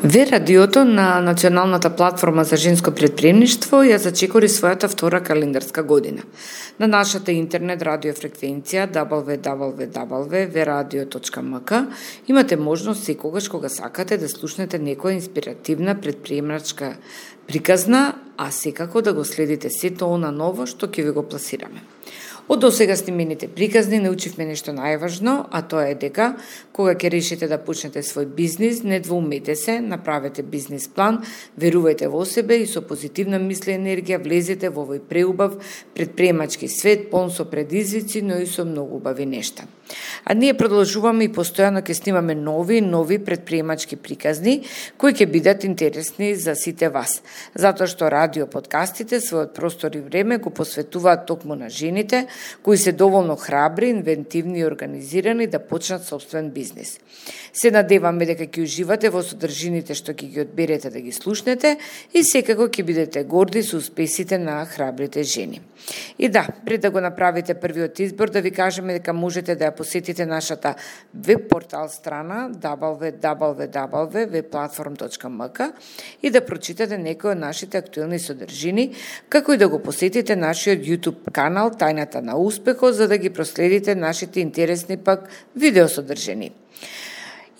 Ве радиото на Националната платформа за женско претприемништво ја зачекори својата втора календарска година. На нашата интернет радиофреквенција www.veradio.mk имате можност секогаш кога сакате да слушнете некоја инспиративна претприемачка приказна, а секако да го следите сето она ново што ќе ви го пласираме. Од досега снимените приказни научивме нешто најважно, а тоа е дека кога ќе решите да почнете свој бизнис, не двоумете се, направете бизнис план, верувајте во себе и со позитивна мисли и енергија влезете во овој преубав претприемачки свет, полн со предизвици, но и со многу убави нешта. А ние продолжуваме и постојано ќе снимаме нови претприемачки приказни кои ќе бидат интересни за сите вас, затоа што радио подкастите својот простор и време го посветуваат токму на жените кои се доволно храбри, инвентивни и организирани да почнат собствен бизнис. Се надеваме дека ќе уживате во содржините што ќе ги одберете да ги слушнете и секако ќе бидете горди со успесите на храбрите жени. И да, пред да го направите првиот избор, да ви кажеме дека можете да ја посетите нашата веб портал страна www.webplatform.mk и да прочитате некои од нашите актуелни содржини, како и да го посетите нашиот YouTube канал Тајната на успехот, за да ги проследите нашите интересни пак видеосодржини.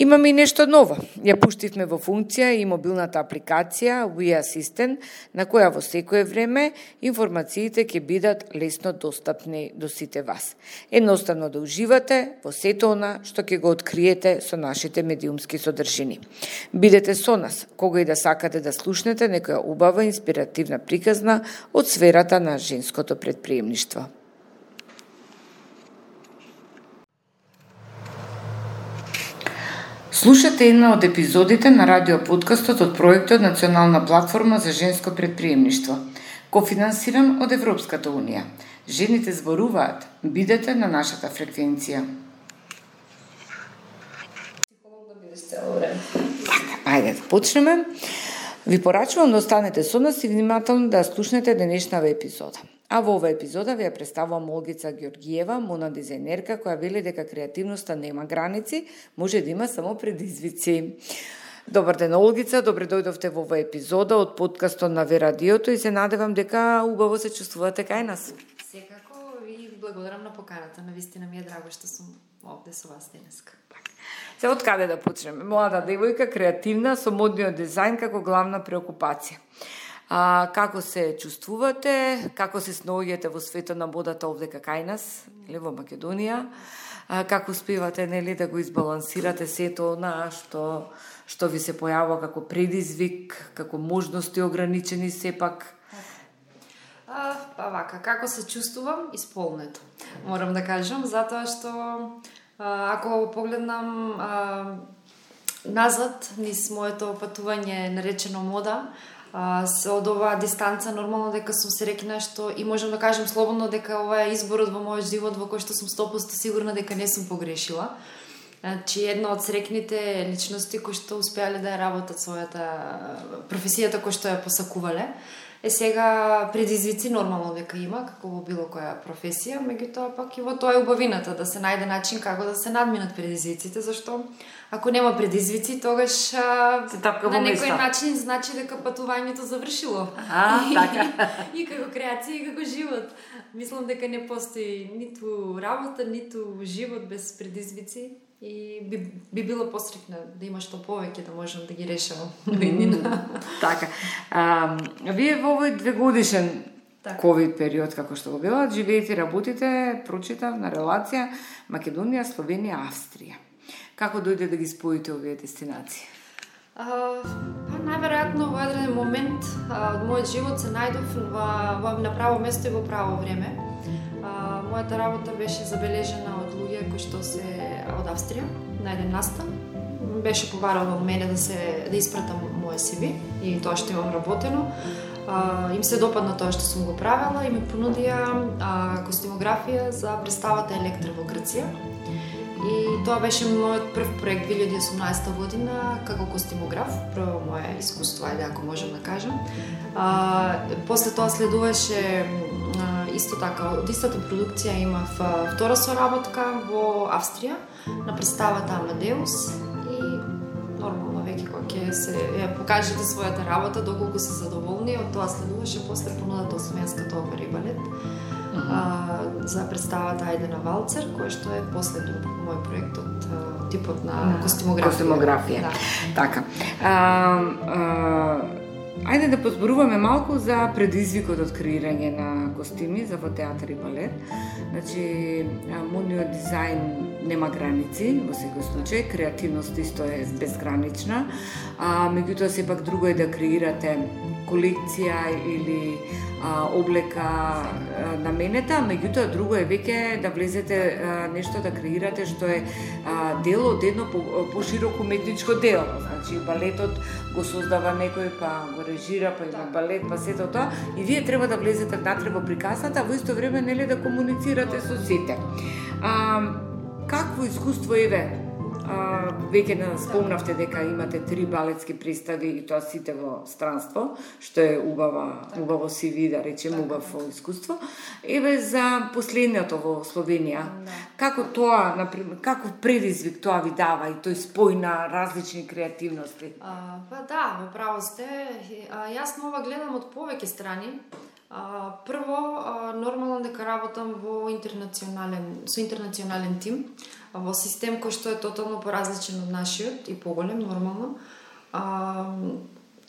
Имаме и нешто ново. Ја пуштивме во функција и мобилната апликација We Assistant, на која во секое време информациите ќе бидат лесно достапни до сите вас. Едноставно да уживате во сето она што ќе го откриете со нашите медиумски содржини. Бидете со нас, кога и да сакате да слушнете некоја убава инспиративна приказна од сферата на женското претприемништво. Слушате една од епизодите на радиоподкастот од проектот Национална платформа за женско претприемништво, кофинансиран од Европската унија. Жените зборуваат. Бидете на нашата фреквенција. Ајде да почнеме. Ви порачувам да останете со нас и внимателно да слушнете денешната епизода. А во оваа епизода ви ја представувам Олгица Георгиева, мона дизајнерка, која вели дека креативноста нема граници, може да има само предизвици. Добар ден, Олгица, добре дојдовте во оваа епизода од подкастот на Ве радиото и се надевам дека убаво се чувствувате кај нас. Секако и благодарам на поканата, навистина ми е драго што сум овде со вас денеска. Се од каде да почнеме? Млада девојка, креативна, со модниот дизајн како главна преокупација. Како се чувствувате, како се снаоѓате во светот на модата овде кај нас, или во Македонија, како успевате да го избалансирате сето она што ви се појавува како предизвик, како можности ограничени сепак? Како се чувствувам? Исполнето, морам да кажам, затоа што ако погледнам назад низ моето патување наречено мода, од оваа дистанца нормално дека сум се рекна што и можам да кажем слободно дека ова е изборот во мојот живот во кој што сум 100% сигурна дека не сум погрешила. Значи една од срекните личности кои што успеале да ја работат својата професијата која што ја посакувале. Сега предизвици нормално дека има, како во било која професија, меѓутоа пак и во тоа е убавината, да се најде начин како да се надминат предизвиците, зашто ако нема предизвици, тогаш на некој начин значи дека патувањето завршило. И како креација, и како живот. Мислам дека не постои ниту работа, ниту живот без предизвици. И би било посрекна да има што повеќе да можам да ги решавам во иднина. Така. Вие во овој 2-годишен ковид период, како што го била, живеете и работите, прочитав, на релација Македонија, Словенија, Австрија. Како дојде да ги споите овие дестинации? Најверојатно во еден момент од мојот живот се најдов на право место и во право време. Мојата работа беше забележена од луѓе кои што се од Австрија на еден настан. Беше побарало од мене да испратам моје CV и тоа што имам работено. Им се допадна тоа што сум го правела и ми понудија костимографија за представата Електра во Грција. И тоа беше мојот прв проект 2018 година како костимограф, прво моје искуство, ако можам да кажам. После тоа следуваше исто така, од истата продукција имав втора соработка во Австрија на представата Амадеус и нормално веќе кога ќе се покажете својата работа, доколку се задоволни, од тоа следуваше после понудата Освенската опера и балет. За представата Ајде на валцер, кој што е последен мој проект од типот на костимографија. Да. Така. Ајде да позборуваме малку за предизвикот од креирање на костими за во театар и балет. Значи, модниот дизајн нема граници, во секој случај, креативност исто е безгранична, меѓутоа сепак друго е да креирате колекција или облека наменета, меѓутоа друго е веќе да влезете нешто да креирате што е дел од едно пошироко уметничко дело. Значи балетот го создава некој, па го режира, па има балет, па сето тоа, и вие треба да влезете внатре во приказната, во исто време нели да комуницирате со сите. Какво искуство еве? Веќе спомнавте дека имате 3 балетски представи и тоа сите во странство, што е убаво си ви, да речем, убаво искуство. Еве за последното во Словенија. Како тоа, например, каков предизвик тоа ви дава и тој спој на различни креативности? Па да, во право сте. Јас на ова гледам од повеќе страни. Прво, нормално дека работам со интернационален тим, во систем кој што е тотално поразличен од нашиот и поголем, нормално.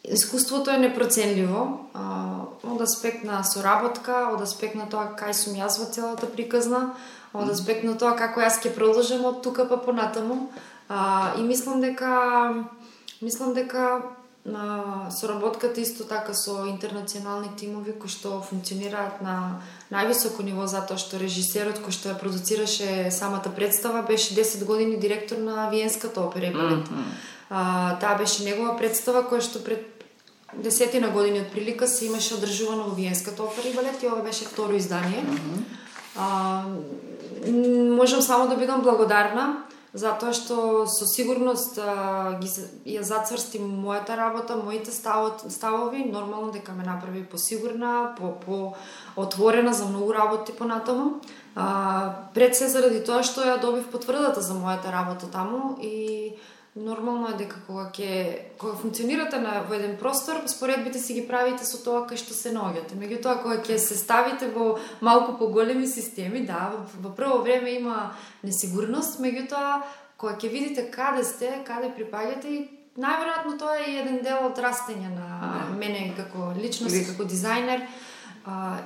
Искуството е непроценливо, од аспект на соработка, од аспект на тоа кај сум јас во целата приказна, од аспект на тоа како јас ќе продолжам од тука па понатаму. И мислам дека соработката исто така со интернационални тимови кои што функционираат на највисоко ниво, затоа што режисерот кој што ја продуцираше самата представа беше 10 години директор на Виенската опера и балет. Таа беше негова представа која што пред 10 години од прилика се имаше одржувано во Виенската опера и балет и ова беше второ издание. Можам само да бидам благодарна затоа што со сигурност ја зацврсти мојата работа, моите ставови, нормално дека ме направи посигурна, по-отворена за многу работи понатаму. Пред се заради тоа што ја добив потврдата за мојата работа таму и нормално е дека кога функционирате во еден простор, споредбите си ги правите со тоа кај што се наоѓате. Меѓутоа кога ќе се ставите во малку поголеми системи, да, во прво време има несигурност, меѓутоа кога ќе видите каде сте, каде припаѓате, и најверојатно тоа е еден дел од растење на мене како личност, како дизајнер,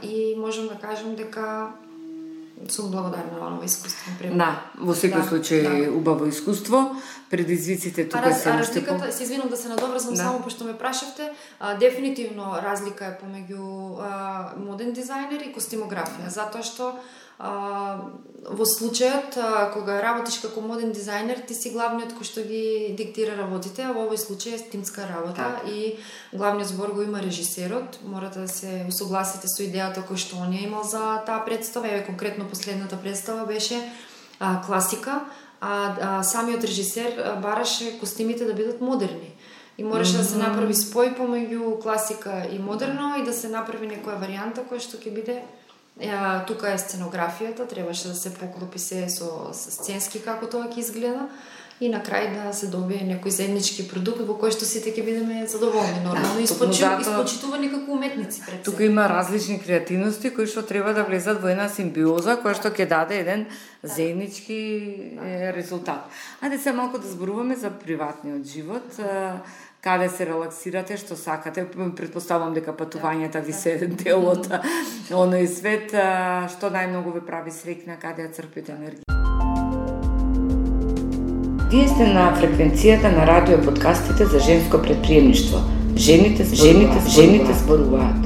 и можам да кажам дека сум благодарна на ова искуство. Да, во секој случај убаво искуство. Предизвиците тука се уште по... Се извинувам да се надоврзам само пошто ме прашавте. Дефинитивно разлика е помеѓу моден дизајнер и костимографија, затоа што во случајот кога работиш како моден дизајнер, ти си главниот кој што ги диктира работите, а во овој случај е тимска работа и главниот збор го има режисерот. Морате да се усогласите со идејата кој што он ја имал за таа представа. Еве конкретно последната представа беше класика, а самиот режисер бараше костимите да бидат модерни. И мораше да се направи спој помеѓу класика и модерно и да се направи некоја варијанта која што ќе биде тука е сценографијата, требаше да се поклопи се со сценски како тоа ќе изгледа и на крај да се добие некој заеднички продукт во кој што сите ќе бидеме задоволни, нормално испочитувани како уметници пред се. Тука има различни креативности кои што треба да влезат во една симбиоза која што ќе даде еден заеднички резултат. Ајде се малку да зборуваме за приватниот живот. Каде се релаксирате, што сакате? Претпоставам дека патувањата ви се дел од оној свет. Што најмногу ве прави среќна, каде ја црпите енергија? Вие сте на фреквенцијата на радио подкастите за женско предприемништво. Жените зборуваат.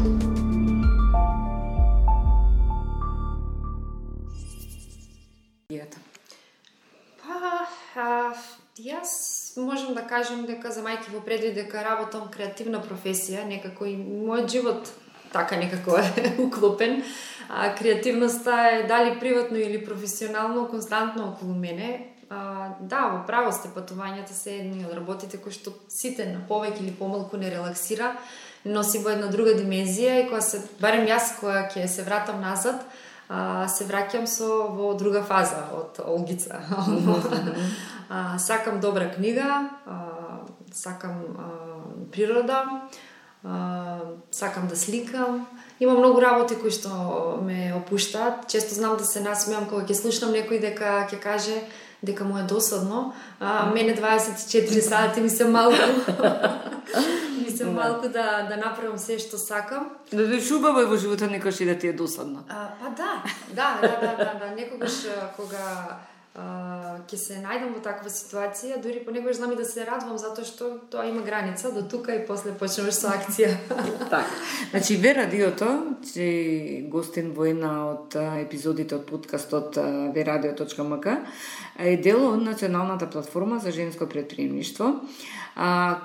Јас можам да кажам дека за мајки во предвид дека работам креативна професија, некако и мојот живот така некако е уклопен. Креативноста е дали приватно или професионално константно околу мене. Да, во право сте, патувањата се едни од работите кои што сите на повеќе или помалку не релаксира, носи во една друга димензија и кога се, барем јас кога ќе се вратам назад, се враќам во друга фаза од Олгица. Сакам добра книга, сакам природа, сакам да сликам. Има многу работи кои што ме опуштаат. Често знам да се насмеам кога ќе слушнам некој дека ќе каже дека му е досадно. Мене 24 сати ми се малку. Ми се малку да направам се што сакам. Да бидеш убава во животот, некогаш и да ти е досадно. Па да. Некогаш кога ќе се најдам во таква ситуација, дури понекогаш знам и да се радвам затоа што тоа има граница до тука и после почнуваш со акција. Така. Значи Ве радиото, че гостин во една од епизодите од подкастот veradio.mk е дел од националната платформа за женско претприемништво.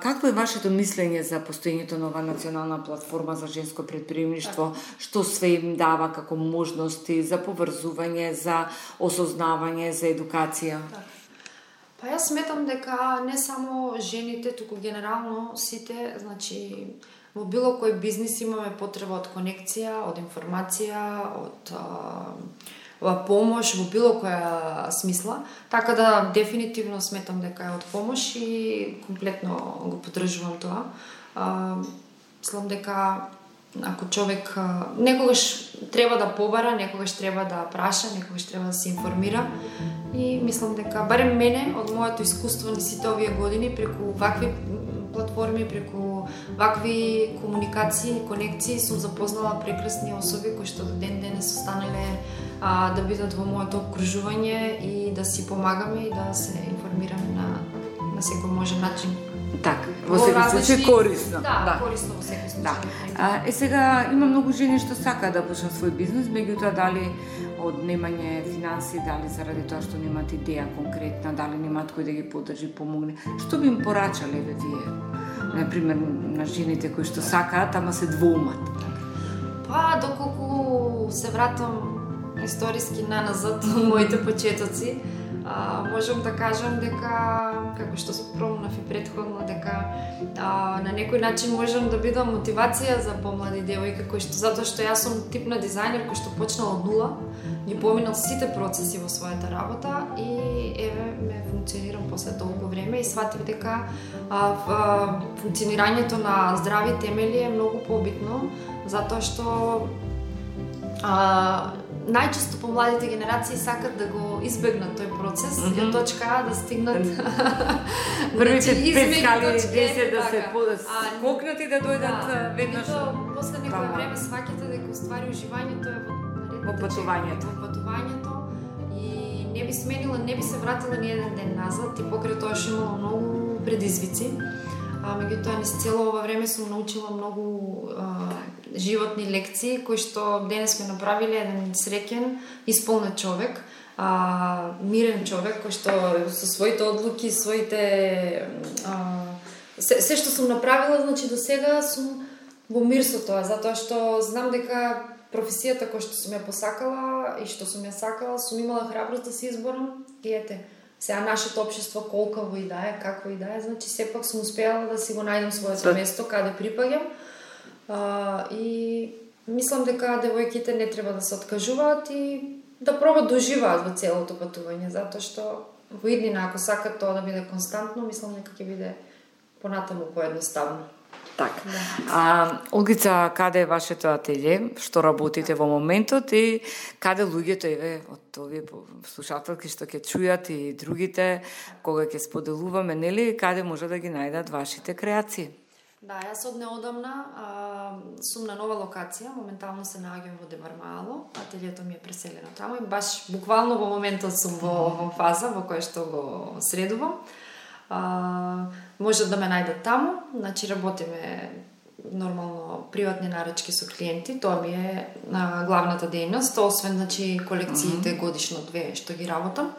Какво е вашето мислење за постоењето на оваа национална платформа за женско претприемништво? Што све им дава како можности за поврзување, за осознавање, за едукација? Па јас сметам дека не само жените, туку генерално сите, значи во било кој бизнис имаме потреба од конекција, од информација, од помош во било која смисла, така да дефинитивно сметам дека е од помош и комплетно го поддржувам тоа. Мислам дека ако човек некогаш треба да побара, некогаш треба да праша, некогаш треба да се информира и мислам дека барем мене од моето искуство на сите овие години преку вакви платформи, преку вакви комуникации и конекции сум запознала прекрасни особи кои што до ден денес останале да бидат во моето окружување и да си помагаме и да се информираме на секој можен начин. Така, во секој случај корисно. Да, корисно во секој случај. Сега има многу жени што сакаат да почнат свој бизнис, меѓутоа дали од немање финанси, дали заради тоа што немаат идеја конкретна, дали немаат кој да ги поддржи, помогне. Што би им порачале вие? Например, на жените кои што сакаат, ама се двоумат. Па, доколку се вратам историски наназад од моите почетоци, можам да кажам дека, како што спомнав и претходно, дека на некој начин можам да бидам мотивација за помлади девојки, кои што затоа што јас сум тип на дизајнер кој што почнал од нула, ги поминал сите процеси во својата работа и еве ме функционирам после толку време и сватив дека функционирањето на здрави темели е многу побитно, затоа што најчесто помладите генерации сакат да го избегнат тој процес и од точка А да стигнат првите 5 скали 10 да се скокнат и да дојдат веднаш. После некој време сваќате дека уствари уживањето е во патувањето и не би сменила, не би се вратила ни еден ден назад и покрај тоа што имала многу предизвици. Меѓутоа низ цело ова време сум научила многу животни лекции кои што денес сме направиле еден среќен, исполнет човек, мирен човек кој што со своите одлуки, своите се што сум направила, значи до сега сум во мир со тоа, затоа што знам дека професијата која што сум ја посакала и што сум ја сакала, сум имала храброст да се изборам и ете, сега нашето општество колкаво и да е, какво и да е, значи сепак сум успеала да си го најдам своето место каде припаѓам. И мислам дека девојките не треба да се откажуваат и да пробат да уживаат во целото патување, затоа што во иднина ако сакат тоа да биде константно, мислам дека ќе биде понатаму поедноставно. Така. Олгица, каде е вашето ателје? Што работите во моментот и каде луѓето еве од овие слушателки што ќе чујат и другите кога ќе споделуваме, нели, каде може да ги најдат вашите креации? Да, јас од неодамна сум на нова локација, моментално се наоѓам во Демармаало, ателјето ми е преселено таму и баш буквално во моментот сум во фаза во која што го средувам. Може да ме најдат таму, значи работиме нормално приватни нарачки со клиенти, тоа ми е главната дејност, освен значи колекциите годишно 2 што ги работам.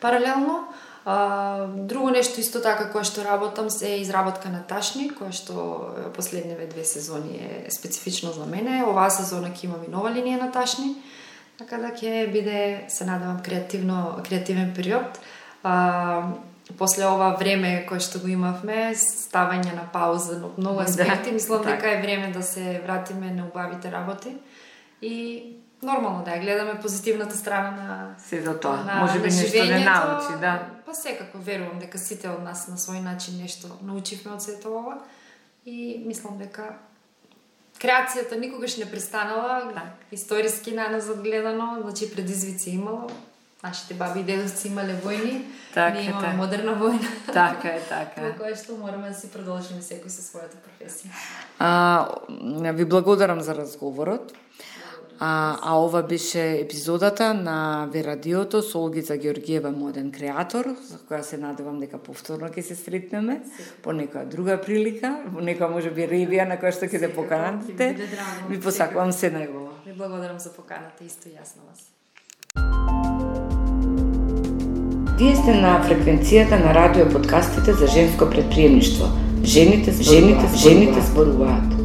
Паралелно, друго нешто исто така кое што работам се изработка на ташни, кое што последниве 2 сезони е специфично за мене. Оваа сезона ќе имам и нова линија на ташни, така да ќе биде, се надевам, креативен период. После ова време кое што го имавме, ставање на пауза на многу аспекти, мислам дека е време да се вратиме на убавите работи и нормално да ја гледаме позитивната страна на се за тоа. Може би нешто не научи, да. Па Па секако верувам дека сите од нас на свој начин нешто научивме од сето ова и мислам дека креацијата никогаш не престанала, историски наназад гледано, значи предизвици имало. Нашите баби и дедовци имале војни, ние имаме модерна војна. Така е. Во кое што мораме да си продолжиме секој со својата професија. Ви благодарам за разговорот. А ова беше епизодата на Верадиото со Олгица Георгиева, моден креатор, за која се надевам дека повторно ќе се сретнеме по некоја друга прилика, по некоја можеби ревија на која што ќе се поканате. Ви посакувам се најубаво. Ви благодарам за поканата, исто јас на вас. Вие сте на фреквенцијата на радио подкастите за женско предприемништво. Жените зборуваат.